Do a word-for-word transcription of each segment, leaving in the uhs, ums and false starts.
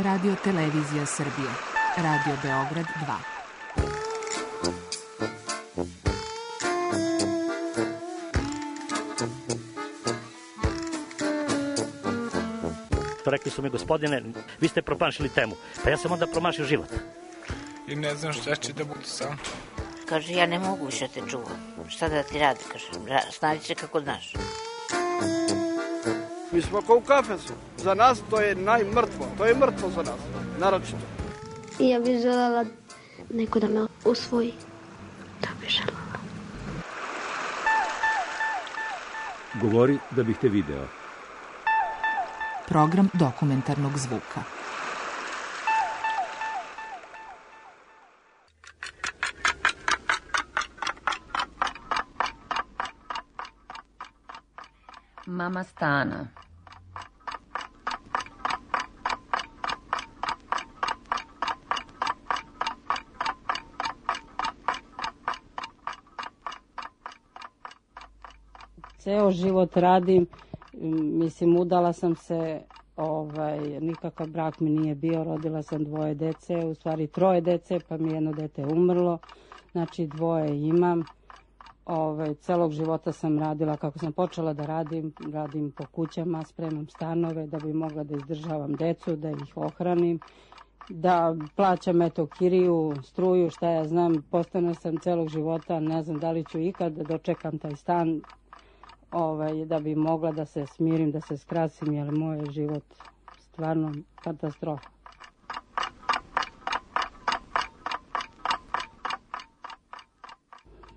Radio Televizija Srbije. Radio Beograd dva. Rekli su mi, gospodine, vi ste promašili temu. Pa ja sam onda promašio život. I ne znam šta će da bude sam. Kaže, ja ne mogu više te čuvam. Šta da ti radi, kaže, snađi se kako znaš. Mi smo kao u kafesu. Za nas to je najmrtvo. To je mrtvo za nas, naročito. I ja bih želela neko da me usvoji. To bih želela. Govori da bih te video. Program dokumentarnog zvuka. Mama Stana. Ceo život radim, mislim, udala sam se, ovaj, nikakav brak mi nije bio, rodila sam dvoje dece, u stvari troje dece, pa mi jedno dete umrlo, znači dvoje imam. Ovaj, celog života sam radila, kako sam počela da radim, radim po kućama, spremam stanove da bi mogla da izdržavam decu, da ih ohranim, da plaćam eto kiriju, struju, šta ja znam, postana sam celog života, ne znam da li ću ikad da dočekam taj stan, ovaj, da bi mogla da se smirim, da se skrasim, jer moj je život stvarno katastrofa.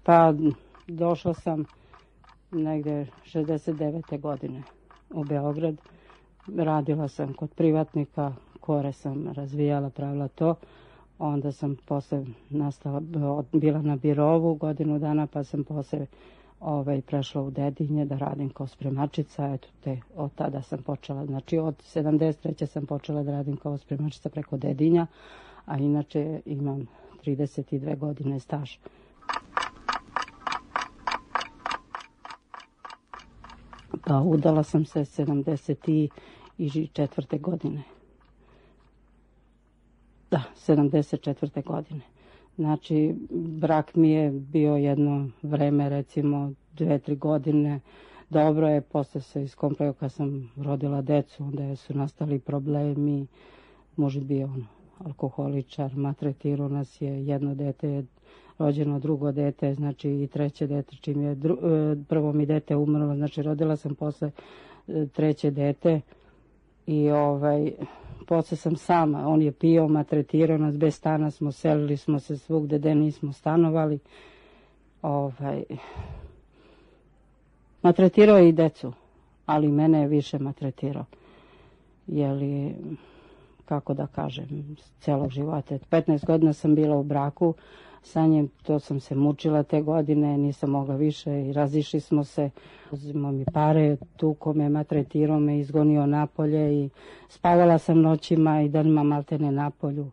Pa došla sam negde šezdeset devete godine u Beograd. Radila sam kod privatnika, kore sam razvijala, pravila to. Onda sam posle nastala, bila na birovu godinu dana, pa sam posle ovaj, prešla u Dedinje da radim kao spremačica. Eto te, od tada sam počela, znači od sedamdeset treće sam počela da radim kao spremačica preko Dedinja, a inače imam trideset dve godine staža. Pa udala sam se sedamdeset četvrte godine. Da, sedamdeset četvrte godine. Znači, brak mi je bio jedno vreme, recimo dve, tri godine. Dobro je, posle se iskompleo kad sam rodila decu, onda su nastali problemi. Muž bio on, alkoholičar, maltretirao nas je, jedno dete je rođeno, drugo dete, znači i treće dete, čim je dru, prvo mi dete umrlo, znači rodila sam posle treće dete i ovaj, posle sam sama, on je pio, maltretirao nas, bez stana smo, selili smo se svugde gde nismo stanovali, ovaj, maltretirao je i decu, ali mene je više maltretirao, jeli, kako da kažem, celog života. petnaest godina sam bila u braku, sa njim, to sam se mučila te godine, nisam mogla više i razišli smo se. Uzimao mi pare, tuko me, maltretirao me, izgonio napolje i spavala sam noćima i danima maltene napolju.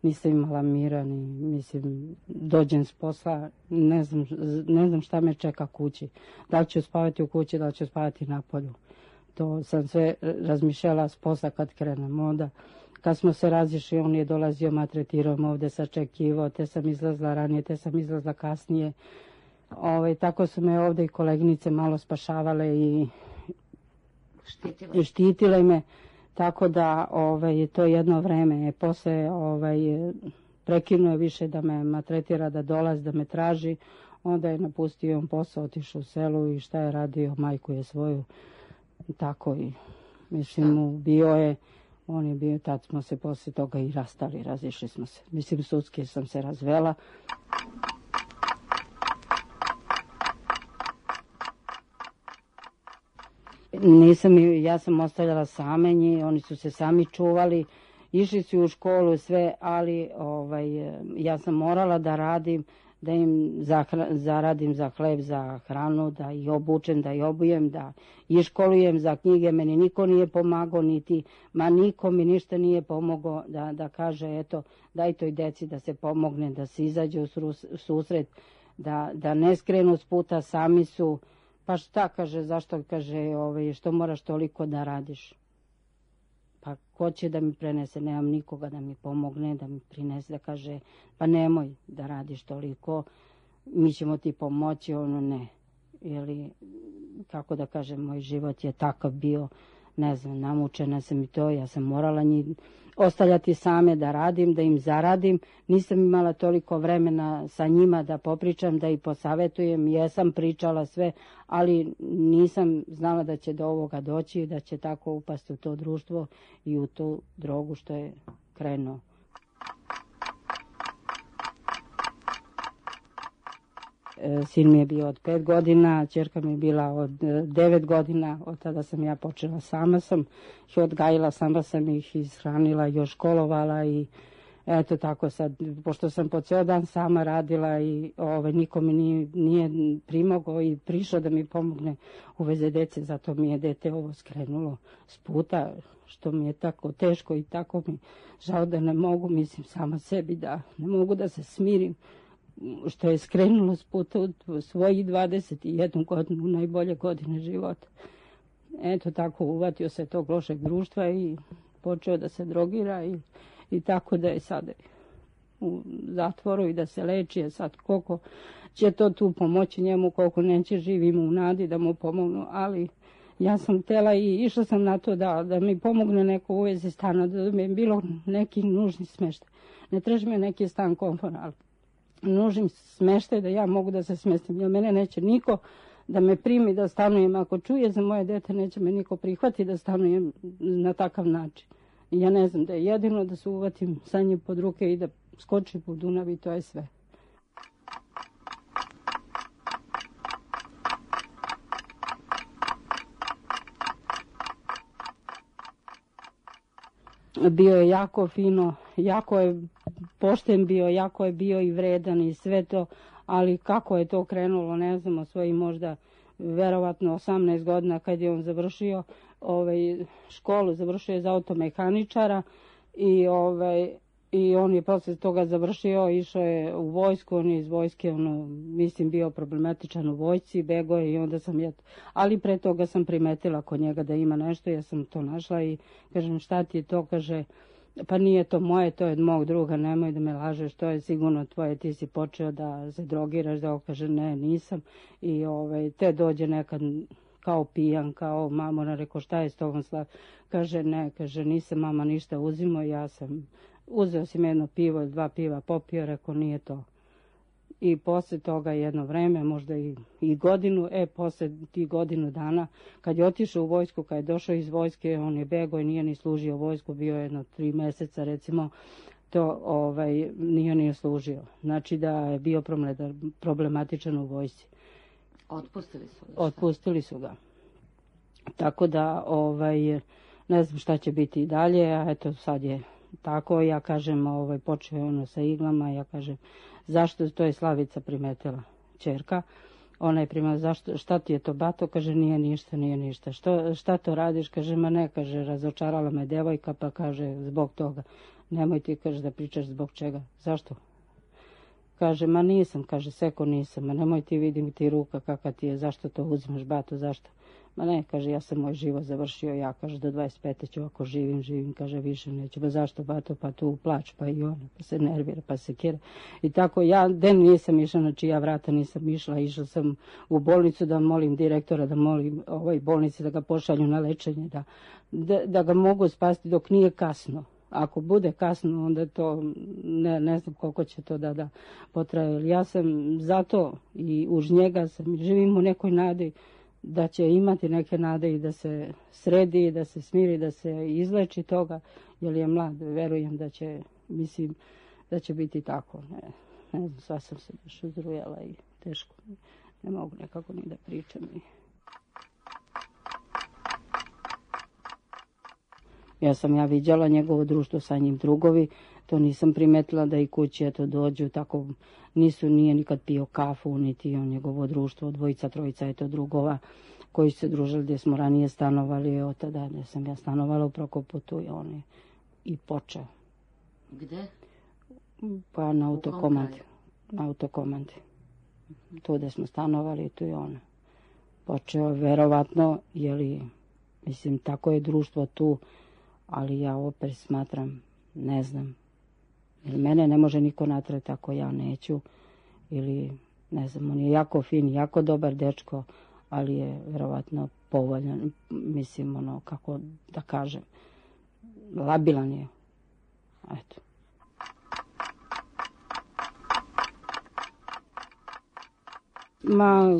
Nisam imala mira, ni, mislim, dođem s posla, ne znam, ne znam šta me čeka kući. Da li ću spavati u kući, da li ću spavati napolju. To sam sve razmišljala s posla kad krenem onda. Kad smo se razišli, on je dolazio, maltretirao me ovde, sačekivao, te sam izlazla ranije, te sam izlazla kasnije. Ove, tako su me ovde i koleginice malo spašavale i štitile, i štitile me. Tako da ove, to jedno vreme. Posle ove, prekinuo je više da me maltretira, da dolazi, da me traži. Onda je napustio on posao, otišao u selu i šta je radio, majku je svoju. Tako i, mislim, bio je. On je bio, tad smo se posle toga i rastali, razišli smo se. Mislim, sudski sam se razvela. Nisam, ja sam ostavljala same njih, oni su se sami čuvali, išli su u školu sve, ali ovaj, ja sam morala da radim, da im zahra, zaradim za hleb, za hranu, da ih obučem, da ih obujem, da ih školujem za knjige. Meni niko nije pomagao, niti, ma niko mi ništa nije pomogao da, da kaže, eto, daj toj deci da se pomogne, da se izađe u susret, da, da ne skrenu s puta, sami su. Pa šta, kaže, zašto, kaže, ovaj, što moraš toliko da radiš? pa ko će da mi prenese, nemam nikoga da mi pomogne, da mi prinese, da kaže, pa nemoj da radiš toliko, mi ćemo ti pomoći, ono ne. Ili, kako da kažem, moj život je takav bio, ne znam, namučena sam i to, ja sam morala njih ostavljati same da radim, da im zaradim, nisam imala toliko vremena sa njima da popričam, da ih posavetujem, jesam pričala sve, ali nisam znala da će do ovoga doći, da će tako upasti u to društvo i u tu drogu što je krenuo. Sin mi je bio od pet godina, ćerka mi je bila od devet godina, od tada sam ja počela, sama sam ih odgajila, sama sam ih ishranila, još školovala i eto tako sad, pošto sam po ceo dan sama radila i ovaj, niko mi nije, nije primogao i prišao da mi pomogne u veze dece, zato mi je dete ovo skrenulo s puta, što mi je tako teško i tako mi žao da ne mogu, mislim sama sebi da ne mogu da se smirim, što je skrenulo s puta u svojih dvadeset jednu godinu, najbolje godine života. Eto tako uvatio se tog lošeg društva i počeo da se drogira i, i tako da je sad u zatvoru i da se leči. A sad koliko će to tu pomoći njemu, koliko neće, živimo u nadi da mu pomognu, ali ja sam htjela i išla sam na to da, da mi pomogne neko u vezi stana, da mi je bilo neki nužni smeštaj. Ne traži me neki stan komfora, ali nužim smeštaj da ja mogu da se smestim, jer mene neće niko da me primi da stanujem. Ako čuje za moje dete, neće me niko prihvati da stanujem na takav način. I ja ne znam da je jedino da se uvatim sa njim pod ruke i da skočim u Dunav i to je sve. Bio je jako fino, jako je pošten bio, jako je bio i vredan i sve to, ali kako je to krenulo, ne znamo, svoji možda verovatno osamnaest godina kad je on završio ovaj, školu, završio je za automehaničara i, ovaj, i on je posle toga završio, išao je u vojsku, on je iz vojske, ono, mislim, bio problematičan u vojsci, bego je i onda sam ja, ali pre toga sam primetila kod njega da ima nešto, ja sam to našla i kažem šta ti je to, kaže, pa nije to moje, to je od mog druga, nemoj da me lažeš, to je sigurno tvoje, ti si počeo da se drogiraš, da kaže ne, nisam i ovaj, te dođe nekad kao pijan, kao mamo, ona rekao šta je s tobom slav, kaže ne, kaže nisam mama ništa uzimao, ja sam, uzeo si me jedno pivo, dva piva popio, rekao nije to. I posle toga jedno vreme, možda i, i godinu, e, posle tih godinu dana, kad je otišao u vojsku, kad je došao iz vojske, on je bego i nije ni služio vojsku, bio je jedno tri meseca, recimo, to ovaj, nije nije služio. Znači da je bio problematičan u vojsci. Otpustili su ga? Otpustili su ga. Tako da, ovaj, ne znam šta će biti i dalje, a eto sad je tako, ja kažem, ovaj, počeo je ono sa iglama, ja kažem, zašto, to je Slavica primetila, ćerka, ona je primetila, zašto, šta ti je to bato, kaže, nije ništa, nije ništa, što, šta to radiš, kaže, ma ne, kaže, razočarala me devojka, pa kaže, zbog toga, nemoj ti, kaže, da pričaš zbog čega, zašto? Kaže, ma nisam, kaže, seko nisam, ma nemoj ti, vidim ti ruka kakva ti je, zašto to uzimaš bato, zašto? Ma ne, kaže, ja sam moj život završio, ja, kaže, do dvadeset pete ću, ako živim, živim, kaže, više neću, ba zašto, bato, pa tu plač, pa i ona, pa se nervira, pa se kira. I tako, ja den nisam išla, na čija vrata nisam išla, išla sam u bolnicu da molim direktora, da molim ovaj bolnici da ga pošalju na lečenje, da, da, da ga mogu spasti dok nije kasno. Ako bude kasno, onda to, ne, ne znam koliko će to da, da potraje. Ja sam zato i uz njega sam, živim u nekoj nadi, da će imati neke nade i da se sredi, da se smiri, da se izleči toga, jer je mlad, verujem da će, mislim, da će biti tako. Ne, ne znam, sva sam se baš uzrujala i teško, ne mogu nekako ni da pričam. Ja sam ja viđala njegovo društvo sa njim drugovi, to nisam primetila da i kući eto dođu, tako nisu, nije nikad pio kafu, niti on njegovo društvo, dvojica, trojica eto drugova koji su se družili gdje smo ranije stanovali, od tada gdje sam ja stanovala u Prokoputu i on je i počeo. Gde? Pa na autokomandi. Na autokomandi. Tu gdje smo stanovali, tu je on počeo, verovatno, jeli, mislim, tako je društvo tu, ali ja opet smatram, ne znam, jer mene ne može niko natrati ako ja neću, ili ne znam, on je jako fin, jako dobar dečko, ali je verovatno povoljan, mislim, ono, kako da kažem, labilan je, eto. Ma,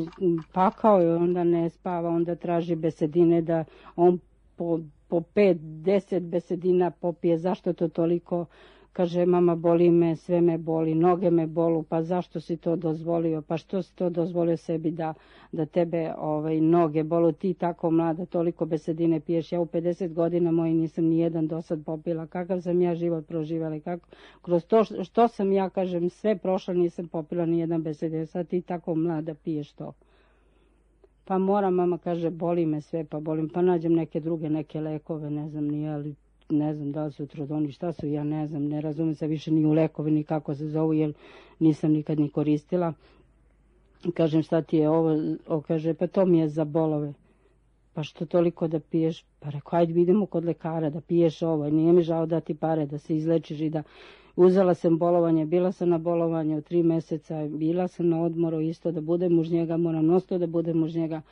pakao je, onda ne spava, onda traži besedine da on po, po pet, deset besedina popije. Zašto to toliko? Kaže, mama, boli me, sve me boli, noge me bolu, pa zašto si to dozvolio? Pa što si to dozvolio sebi da, da tebe ovaj, noge bolu? Ti tako mlada, toliko besedine piješ. Ja u pedeset godina moji nisam ni jedan do sad popila. Kakav sam ja život proživjela? Kako? Kroz to što, što sam ja, kažem, sve prošla, nisam popila ni jedan besedine. Sad ti tako mlada piješ to. Pa moram, mama, kaže, boli me sve, pa bolim. Pa nađem neke druge, neke lekove, ne znam nije, ali ne znam da li su trodoni, šta su, ja ne znam, ne razumijem se više ni u lekove, ni kako se zovu, jer nisam nikad ni koristila. Kažem, šta ti je ovo? O, kaže, pa to mi je za bolove. Pa što toliko da piješ? Pa rekao, ajde idemo kod lekara da piješ ovo, nije mi žao dati pare da se izlečiš i da... Uzela sam bolovanje, bila sam na bolovanju tri meseca, bila sam na odmoru isto da budem uz njega, moram nosto da budem uz njega.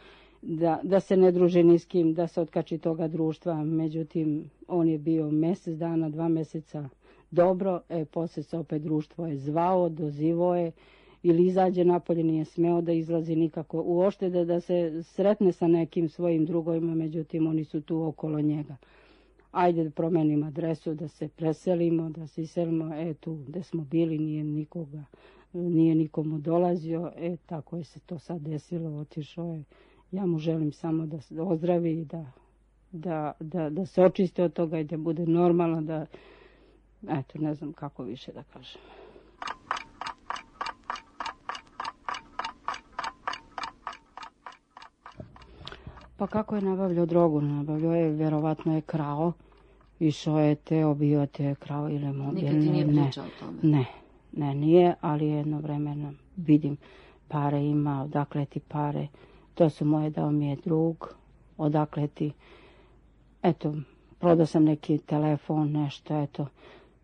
Da, da se ne druži ni s kim, da se otkači toga društva. Međutim, on je bio mjesec dana, dva mjeseca dobro, e, poslije se opet društvo je zvao, dozivo je, ili izađe napolje, nije smeo da izlazi nikako. Uopšte da, da se sretne sa nekim svojim drugovima, međutim, oni su tu okolo njega. Ajde da promenimo adresu, da se preselimo, da se iselimo, e, tu gde smo bili, nije nikoga, nije nikomu dolazio, e, tako je se to sad desilo, otišao je. Ja mu želim samo da se ozdravi i da, da, da, da se očiste od toga i da bude normalno, da, eto, ne znam kako više da kažem. Pa kako je nabavljao drogu? Nabavljao je, vjerovatno je krao, išao je te, obio te, krao ili mobilne. Nikad ti nije pričao o tome? Ne, ne, nije, ali jedno vremena vidim, pare ima, odakle ti pare. To su moje, dao mi je drug, odakle ti, eto, prodao sam neki telefon, nešto, eto,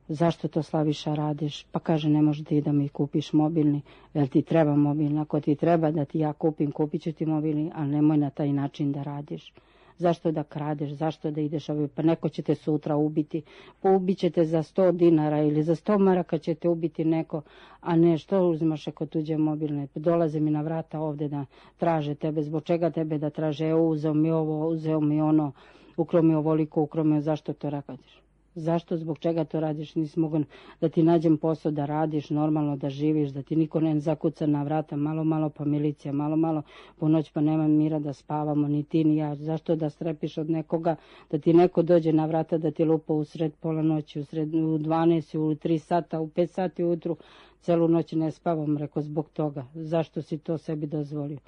zašto to Slaviša radiš? Pa kaže, ne može ti da mi kupiš mobilni, jer ti treba mobilni, ako ti treba da ti ja kupim, kupit ću ti mobilni, ali nemoj na taj način da radiš. Zašto da kradeš, zašto da ideš ovdje, pa neko će te sutra ubiti, pa ubit će te za sto dinara ili za sto maraka će te ubiti neko, a ne što uzimaš ako tuđe mobilne, dolaze mi na vrata ovdje da traže tebe, zbog čega tebe da traže, evo uzeo mi ovo, uzeo mi ono, ukro mi ovoliko, ukro mi, zašto to radiš? Zašto, zbog čega to radiš? Nisi mogu da ti nađem posao da radiš, normalno da živiš, da ti niko ne zakuca na vrata, malo, malo pa milicija, malo, malo po noć pa nema mira da spavamo, ni ti ni ja. Zašto da strepiš od nekoga, da ti neko dođe na vrata, da ti lupa u sred pola noći, u, sred, u dvanaest, u tri sata, u pet sati ujutru, celu noć ne spavam, reko, zbog toga. Zašto si to sebi dozvolio?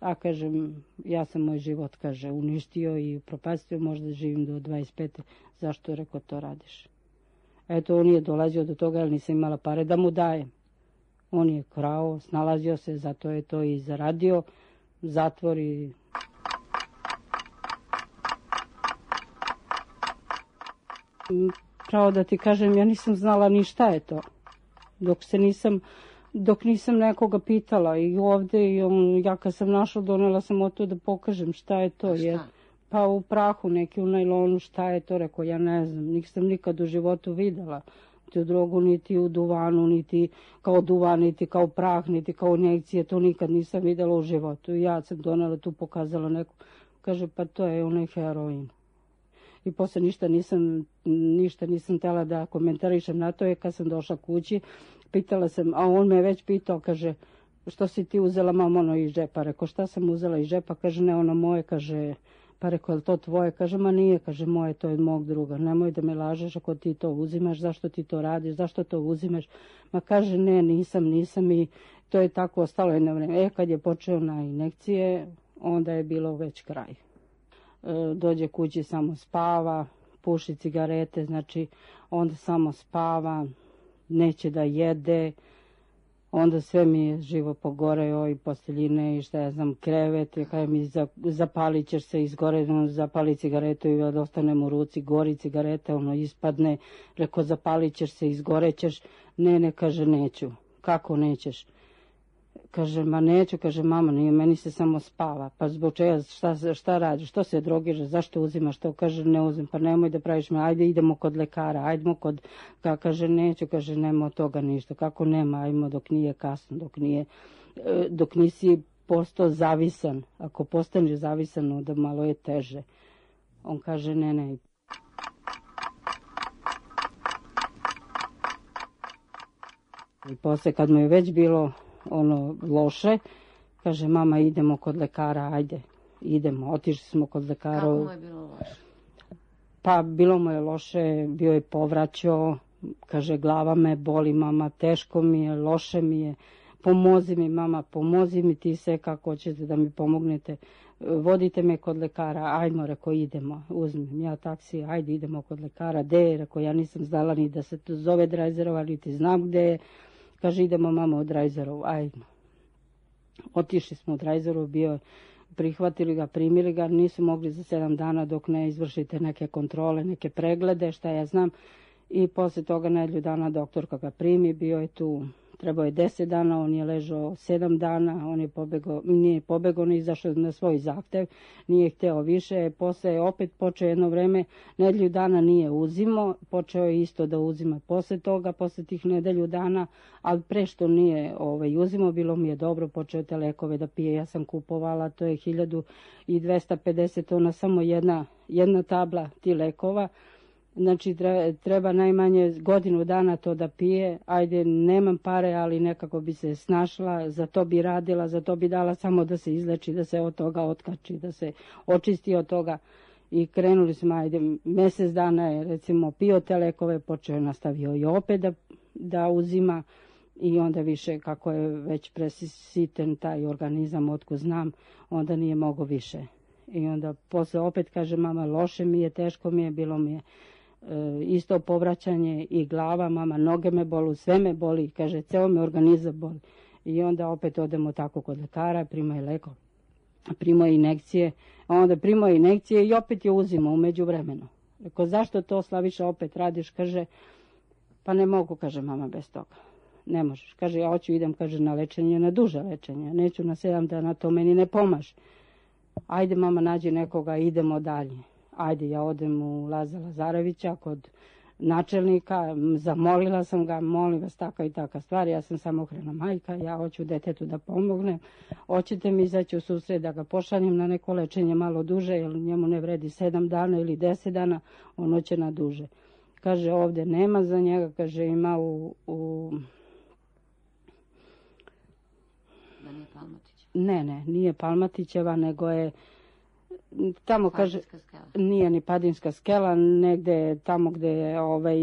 A kažem, ja sam moj život, kaže, uništio i propastio, možda živim do dvadeset pete. Zašto, reko, to radiš? Eto, on je dolazio do toga, jer nisam imala pare da mu dajem. On je krao, snalazio se, zato je to i zaradio, zatvor i... Pravo da ti kažem, ja nisam znala ni šta je to, dok se nisam... Dok nisam nekoga pitala i ovdje, i on, ja kad sam našla, donela sam o to da pokažem šta je to. Jer, pa u prahu neki, u najlonu, šta je to, rekao, ja ne znam, nisam nikad u životu vidjela tu drogu, niti u duvanu, niti kao duvan, niti kao prah, niti kao injekcije, to nikad nisam vidjela u životu. I ja sam donela tu, pokazala neku, kaže, pa to je onaj heroin. I poslije ništa nisam, ništa nisam htjela da komentarišem na to, je kad sam došla kući, pitala sam, a on me već pitao, kaže, što si ti uzela, mam, ono iz džepa? Reko, šta sam uzela iz džepa? Kaže, ne, ono moje, kaže, pa reko, je to tvoje? Kaže, ma nije, kaže, moje, to je od mog druga. Nemoj da me lažeš ako ti to uzimaš, zašto ti to radiš, zašto to uzimaš? Ma kaže, ne, nisam, nisam i to je tako ostalo jedno vrijeme. E, kad je počeo na injekcije, onda je bilo već kraj. E, dođe kući, samo spava, puši cigarete, znači, onda samo spava, neće da jede, Onda sve mi je živo pogoreo i posteljine i šta ja znam, krevet, i kada mi zapalit ćeš se, izgore, ono, zapali cigaretu i ostanem u ruci, gori cigareta, ono ispadne, reko zapalit ćeš se, izgorećeš, ne, ne, kaže neću, kako nećeš? Kaže, ma neću, kaže, mama, nije, meni se samo spava. Pa zbog čega, šta, šta radiš, što se drogiraš, zašto uzimaš to? Kaže, ne uzim, pa nemoj da praviš me, ajde idemo kod lekara, ajdemo kod, ka, kaže, neću, kaže, nema od toga ništa. Kako nema, ajmo dok nije kasno, dok nije, dok nisi postao zavisan. Ako postaneš zavisan, onda malo je teže. On kaže, ne, ne. I posle, kad mu je već bilo ono loše, kaže, mama, idemo kod lekara, ajde, idemo, otišli smo kod lekara. Kako mu je bilo loše? Pa bilo mu je loše, bio je povraćao, kaže, glava me boli, mama, teško mi je, loše mi je, pomozi mi, mama, pomozi mi ti sve kako hoćete da mi pomognete, vodite me kod lekara, ajmo, reko, idemo, uzmem ja taksi, ajde, idemo kod lekara, gde je, reko, ja nisam znala ni da se to zove Drajzerova, niti znam gde je. Kaže, idemo, mama, u Drajzerovu, ajmo. Otišli smo u Drajzerovu, bio, prihvatili ga, primili ga, nisu mogli za sedam dana dok ne izvršite neke kontrole, neke preglede, šta ja znam. I posle toga nedelju dana doktorka ga primi, bio je tu, trebao je deset dana, on je ležao sedam dana, on je pobegao, nije pobegao, on je izašao na svoj zahtev, nije hteo više, posle je opet počeo jedno vreme, nedelju dana nije uzimao, počeo je isto da uzima posle toga, posle tih nedelju dana, ali pre što nije ovaj, uzimao, bilo mi je dobro, počeo te lekove da pije, ja sam kupovala, to je hiljadu dvesta pedeset, ona samo jedna, jedna tabla ti lekova. Znači, treba najmanje godinu dana to da pije. Ajde, nemam pare, ali nekako bi se snašla, za to bi radila, za to bi dala samo da se izleči, da se od toga otkači, da se očisti od toga. I krenuli smo, ajde, mjesec dana je, recimo, pio te lekove, počeo je, nastavio i opet da, da uzima. I onda više, kako je već presiten taj organizam, otko znam, onda nije mogo više. I onda posle opet kaže, mama, loše mi je, teško mi je, bilo mi je isto povraćanje i glava, mama, noge me bolu, sve me boli, kaže, ceo me organizam boli. I onda opet odemo tako kod lekara, primaju leko, primaju injekcije, a onda primaju injekcije i opet je uzimo umeđu vremenu. Rekao, zašto to, Slaviša, opet radiš? Kaže, pa ne mogu, kaže, mama, bez toga. Ne možeš. Kaže, ja hoću, idem, kaže, na lečenje, na duže lečenje, neću na sedam dana, to meni ne pomaže. Ajde, mama, nađi nekoga, idemo dalje. Ajde, ja odem u Laza Lazarevića kod načelnika, zamolila sam ga, molim vas, taka i taka stvar, ja sam samohrana majka, ja hoću detetu da pomognem, hoćete mi izaći u susret da ga pošaljem na neko lečenje malo duže, jer njemu ne vredi sedam dana ili deset dana, on hoće na duže. Kaže, ovdje nema za njega, kaže, ima u... u... Da nije Palmatić? Ne, ne, nije Palmatićeva, nego je... Tamo kaže, nije ni Padinska skela, negde tamo gde je, ovaj,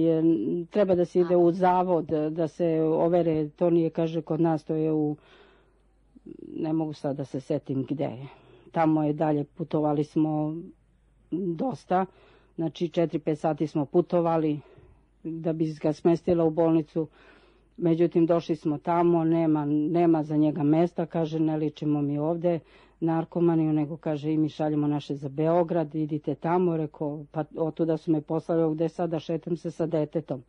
treba da se ide u zavod, da se overe, to nije, kaže, kod nas, to je u, ne mogu sad da se setim gde je. Tamo je dalje, putovali smo dosta, znači četiri pet sati smo putovali da bi ga smestila u bolnicu. Međutim, došli smo tamo, nema, nema za njega mesta, kaže, ne ličimo mi ovde narkomaniju, nego kaže, i mi šaljemo naše za Beograd, idite tamo, rekao, pa otuda su me poslali, gde sada šetam se sa detetom.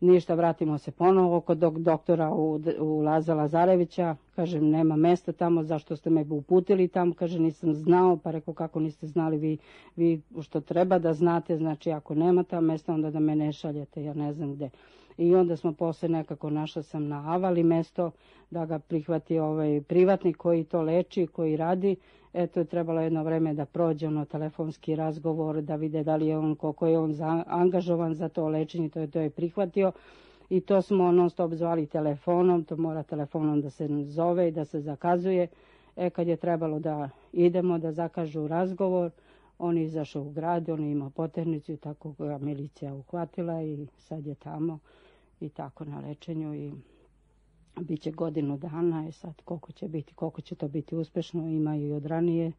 Ništa, vratimo se ponovo kod doktora u, u Laza Lazarevića, kaže, nema mesta tamo, zašto ste me uputili tamo, kaže, nisam znao, pa rekao, kako niste znali vi, vi što treba da znate, znači, ako nema ta mesta, onda da me ne šaljete, ja ne znam gde. I onda smo posle nekako, našla sam na Avali mesto da ga prihvati ovaj privatnik koji to leči, koji radi. Eto, je trebalo jedno vreme da prođe ono telefonski razgovor, da vide da li je on, koliko je on za, angažovan za to lečenje, to je, to je prihvatio. I to smo non stop zvali telefonom, to mora telefonom da se zove i da se zakazuje. E, kad je trebalo da idemo, da zakažu razgovor, on je izašao u grad, on je imao poternicu i tako ga milicija uhvatila i sad je tamo i tako na lečenju i bit će godinu dana i sad koliko će biti, koliko će to biti uspešno, imaju i od ranije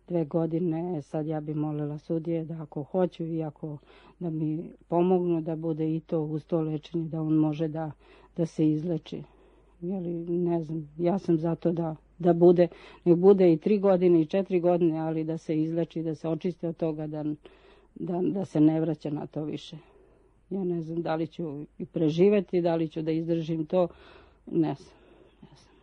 dve godine, sad ja bi molila sudije da ako hoću i ako da mi pomognu da bude i to uz to lečenje, da on može da, da se izleči. Jeli, ne znam, ja sam zato da, da bude, nek bude i tri godine i četiri godine, ali da se izleči, da se očisti od toga, da, da, da se ne vraća na to više. Ja ne znam da li ću i preživeti, da li ću da izdržim to, ne znam. Ne znam.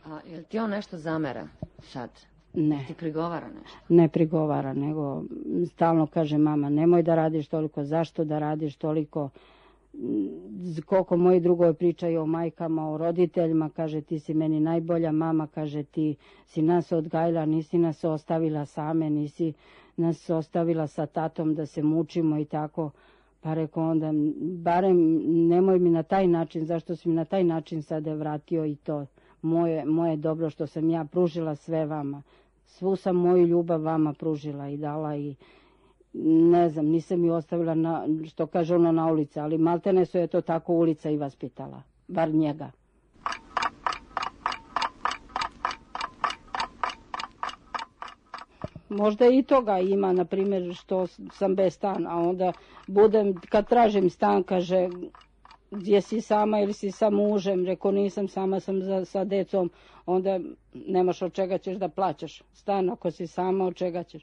A jel ti on nešto zamera sad? Ne. Ti prigovara nešto? Ne prigovara, nego stalno kaže mama, nemoj da radiš toliko, zašto da radiš toliko, koliko moji drugovi pričaju o majkama, o roditeljima, kaže ti si meni najbolja mama, kaže ti si nas odgajila, nisi nas ostavila same, nisi nas ostavila sa tatom da se mučimo i tako. Pa rekao onda, barem nemoj mi na taj način, zašto si mi na taj način sada vratio i to moje, moje dobro što sam ja pružila sve vama. Svu sam moju ljubav vama pružila i dala i ne znam, nisam ju ostavila, na, što kaže ono, na ulici, ali maltene su je to tako ulica i vaspitala, bar njega. Možda i toga ima, na primjer, što sam bez stana, a onda budem, kad tražim stan, kaže, gdje si sama ili si sa mužem, reko nisam sama, sam za, sa decom, onda nemaš od čega ćeš da plaćaš stan, ako si sama, od čega ćeš.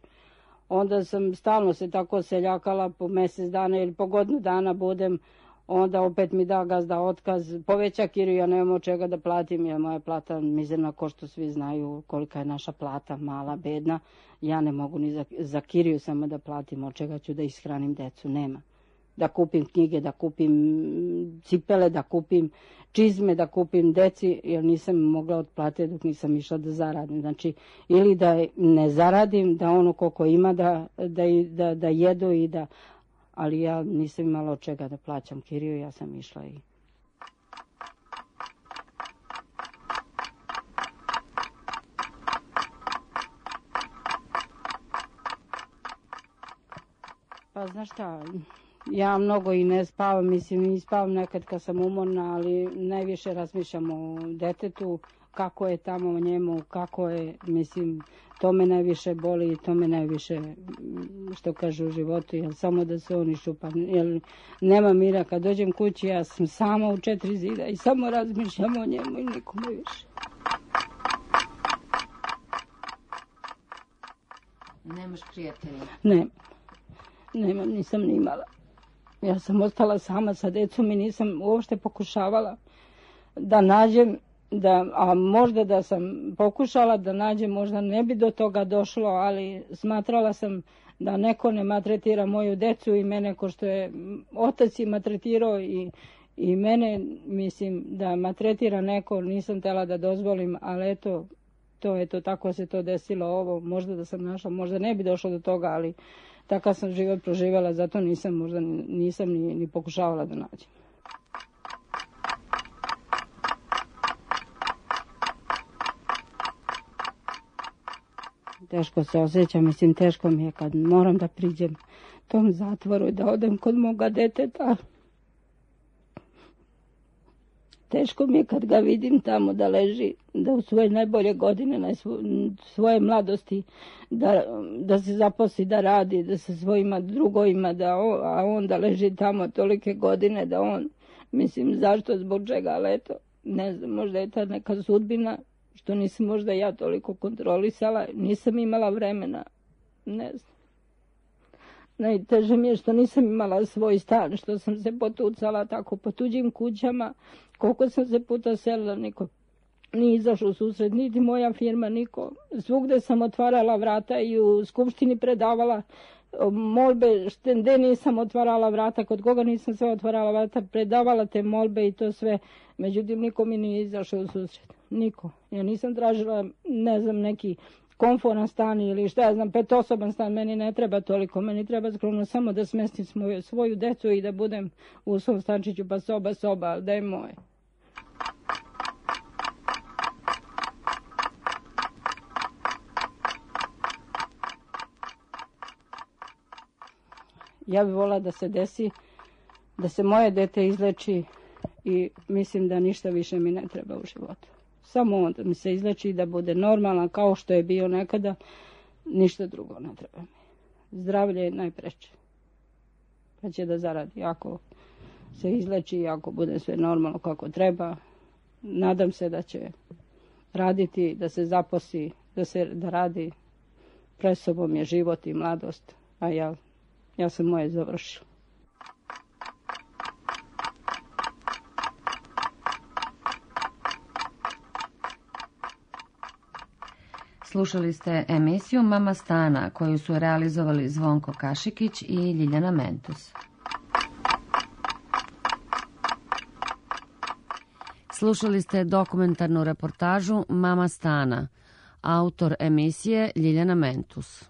Onda sam stalno se tako seljakala po mjesec dana ili po godinu dana budem, onda opet mi da gazda otkaz, poveća kiriju, ja nemam od čega da platim, jer moja plata mizerna, ko što svi znaju kolika je naša plata, mala, bedna, ja ne mogu ni za, za kiriju samo da platim, od čega ću da ishranim decu, nema. Da kupim knjige, da kupim cipele, da kupim čizme, da kupim deci, jer nisam mogla otplatiti dok nisam išla da zaradim. Znači, ili da ne zaradim, da ono koliko ima da, da, da, da jedu i da... Ali ja nisam imala od čega da plaćam kiriju, ja sam išla i... Pa znaš šta, ja mnogo i ne spavam, mislim i spavam nekad kad sam umorna, ali najviše razmišljam o detetu, kako je tamo njemu, kako je, mislim, to me najviše boli i to me najviše, što kažu u životu, jer samo da se on iščupa, jer nema mira. Kad dođem kući, ja sam sama u četiri zida i samo razmišljam o njemu i nikome više. Nemaš prijatelja? Ne, nemam, nisam ni imala. Ja sam ostala sama sa decom i nisam uopšte pokušavala da nađem, da, a možda da sam pokušala da nađem, možda ne bi do toga došlo, ali smatrala sam da neko ne maltretira moju decu i mene ko što je otac i maltretirao i, i mene, mislim da maltretira neko, nisam htjela da dozvolim, ali eto, to je to, tako se to desilo ovo, možda da sam našla, možda ne bi došlo do toga, ali takav sam život proživjela, zato nisam možda nisam ni, ni pokušavala da nađem. Teško se osjećam, mislim teško mi je kad moram da priđem tom zatvoru i da odem kod moga deteta. Teško mi je kad ga vidim tamo da leži, da u svoje najbolje godine, na svoje mladosti, da, da se zaposli, da radi, da se svojima drugovima, da on, a on da leži tamo tolike godine, da on, mislim, zašto, zbog čega, ali eto, ne znam, možda je ta neka sudbina, što nisam možda ja toliko kontrolisala, nisam imala vremena, ne znam. Najteže mi je što nisam imala svoj stan, što sam se potucala tako po tuđim kućama, koliko sam se puta selila, niko nije izašao u susret, niti moja firma, niko. Svugde sam otvarala vrata i u skupštini predavala molbe, štende nisam otvarala vrata, kod koga nisam sve otvarala vrata, predavala te molbe i to sve, međutim niko mi nije izašao u susret, niko. Ja nisam tražila, ne znam, neki komforan stan ili šta ja znam, petosoban stan, meni ne treba toliko, meni treba skromno samo da smestim svoju, svoju decu i da budem u svom stančiću, pa soba, soba, ali da je moje. Ja bih volila da se desi, da se moje dete izleči i mislim da ništa više mi ne treba u životu. Samo onda mi se izleči da bude normalan kao što je bio nekada, ništa drugo ne treba mi. Zdravlje je najpreče. pa će da zaradi. Ako se izleči i ako bude sve normalno kako treba, nadam se da će raditi, da se zaposli, da se da radi. Pred sobom je život i mladost, a ja, ja sam moje završila. Slušali ste emisiju Mama Stana koju su realizovali Zvonko Kašikić i Ljiljana Mentus. Slušali ste dokumentarnu reportažu Mama Stana, autor emisije Ljiljana Mentus.